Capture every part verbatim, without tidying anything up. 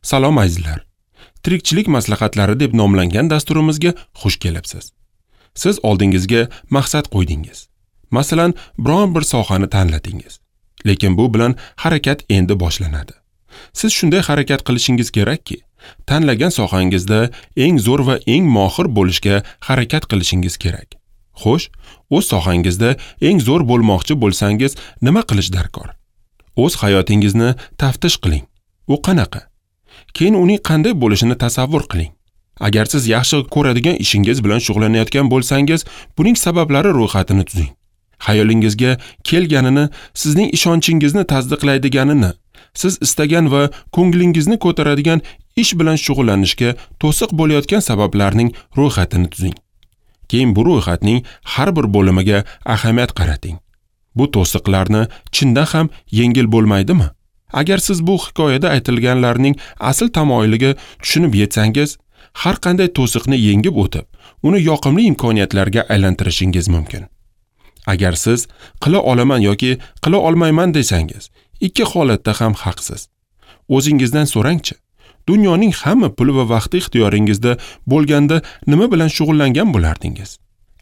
Salom azizlar. Tirikchilik maslahatlari deb nomlangan dasturimizga xush kelibsiz. Siz oldingizga maqsad qo'ydingiz. Masalan, biron bir sohani tanladingiz. Lekin bu bilan harakat endi boshlanadi. Siz shunday harakat qilishingiz kerakki, tanlagan sohangizda eng zo'r va eng mohir bo'lishga harakat qilishingiz kerak. Xo'sh, o'z sohangizda eng zo'r bo'lmoqchi bo'lsangiz, nima qilish darkor? O'z hayotingizni taftish qiling. U qanaqa? Keyin uning qanday bo'lishini tasavvur qiling. Agar siz yaxshi ko'radigan ishingiz bilan shug'ullanayotgan bo'lsangiz, buning sabablari ro'yxatini tuzing. Xayolingizga kelganini, sizning ishonchingizni tasdiqlaydiganini, siz istagan va ko'nglingizni ko'taradigan ish bilan shug'ullanishga to'siq bo'layotgan sabablarning ro'yxatini tuzing. Keyin bu ro'yxatning har bir bo'limiga ahamiyat qarating. Bu to'siqlarni chindan ham yengil bo'lmaydimi? Agar siz bu hikoyada aytilganlarning asl tamoyiliga tushunib yetsangiz, har qanday to'siqni yengib o'tib, uni yoqimli imkoniyatlarga aylantirishingiz mumkin. Agar siz qila olaman yoki qila olmayman desangiz, ikki holatda ham haqsiz. O'zingizdan so'rangchi, dunyoning hamma puli va vaqti ixtiyoringizda bo'lganda nima bilan shug'ullangan bo'lardingiz?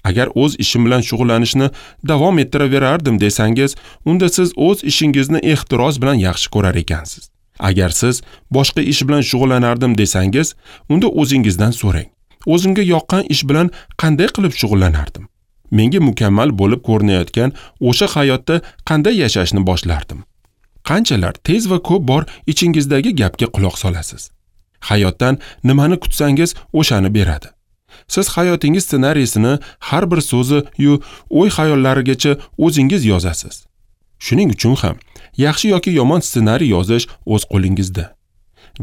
Agar o'z ishim bilan shug'ullanishni davom ettiraverardim desangiz, unda siz o'z ishingizni ehtiros bilan yaxshi ko'rar ekansiz. Agar siz boshqa ish bilan shug'ullanardim desangiz, unda o'zingizdan so'rang. O'zimga yoqqan ish bilan qanday qilib shug'ullanardim? Menga mukammal bo'lib ko'rinayotgan o'sha hayotda qanday yashashni boshlardim? Qanchalar tez va ko'p bor ichingizdagi gapga quloq solasiz? Hayotdan nimani kutsangiz, o'shani beradi. Siz hayotingiz ssenariysini har bir so'zi yu o'y xayollarigacha o'zingiz yozasiz. Shuning uchun ham yaxshi yoki yomon ssenariy yozish o'z qo'lingizda.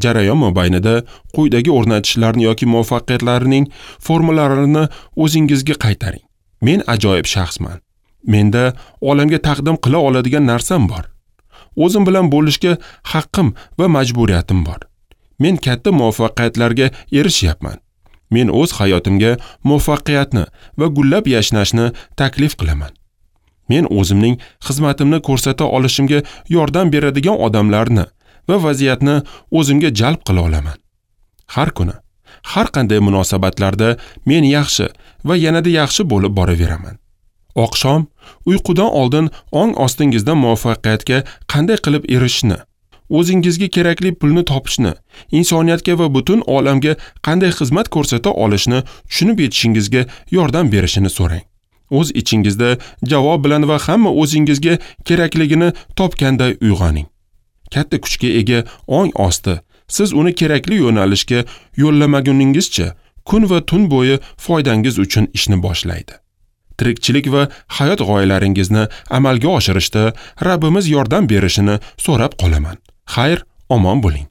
Jarayon mobaynida quyidagi o'rnatishlarni yoki muvaffaqiyatlarning formulalarini o'zingizga qaytaring. Men ajoyib shaxsman. Menda olamga taqdim qila oladigan narsam bor. O'zim bilan bo'lishga haqqim va majburiyatim bor. Men katta muvaffaqiyatlarga erishyapman. Men o'z hayotimga muvaffaqiyatni va gullab yashnashni taklif qilaman. Men o'zimning xizmatimni ko'rsata olishimga yordam beradigan odamlarni va vaziyatni o'zimga jalb qila olaman. Har kuni, har qanday munosabatlarda men yaxshi va yanada yaxshi bo'lib boraveraman. Oqshom uyqudan oldin ong ostingizdan muvaffaqiyatga qanday qilib erishishni, o'zingizga kerakli pulni topishni, insoniyatga va butun olamga qanday xizmat ko'rsata olishni tushunib yetishingizga yordam berishini so'rang. O'z ichingizda javob bilan va hamma o'zingizga kerakligini topganday uyg'oning. Katta kuchga ega ong osti, siz uni kerakli yo'nalishga yo'llamaguningizcha kun va tun bo'yi foydangiz uchun ishni boshlaydi. Tirikchilik va hayot g'oyalaringizni amalga oshirishda Rabbimiz yordam berishini so'rab qolaman. Xayr, omon bo'ling.